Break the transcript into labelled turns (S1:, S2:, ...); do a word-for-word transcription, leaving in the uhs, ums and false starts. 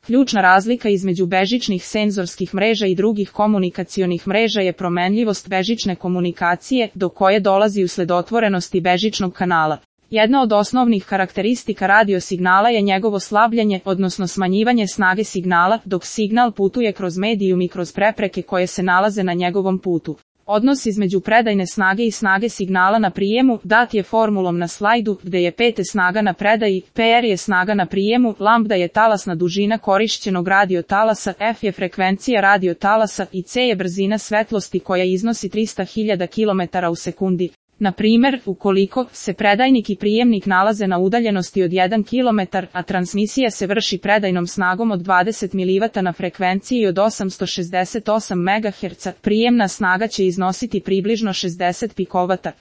S1: Ključna razlika između bežičnih senzorskih mreža i drugih komunikacionih mreža je promenljivost bežične komunikacije, do koje dolazi usled otvorenosti bežičnog kanala. Jedna od osnovnih karakteristika radiosignala je njegovo slabljenje, odnosno smanjivanje snage signala, dok signal putuje kroz medijum i kroz prepreke koje se nalaze na njegovom putu. Odnos između predajne snage i snage signala na prijemu dat je formulom na slajdu, gde je P snaga na predaji, P R je snaga na prijemu, lambda je talasna dužina korišćenog radiotalasa, F je frekvencija radiotalasa i C je brzina svetlosti koja iznosi trista hiljada kilometara u sekundi. Na primer, ukoliko se predajnik i prijemnik nalaze na udaljenosti od jedan kilometar, a transmisija se vrši predajnom snagom od dvadeset milivatova na frekvenciji od osamsto šezdeset osam megaherca, prijemna snaga će iznositi približno šezdeset pikovata.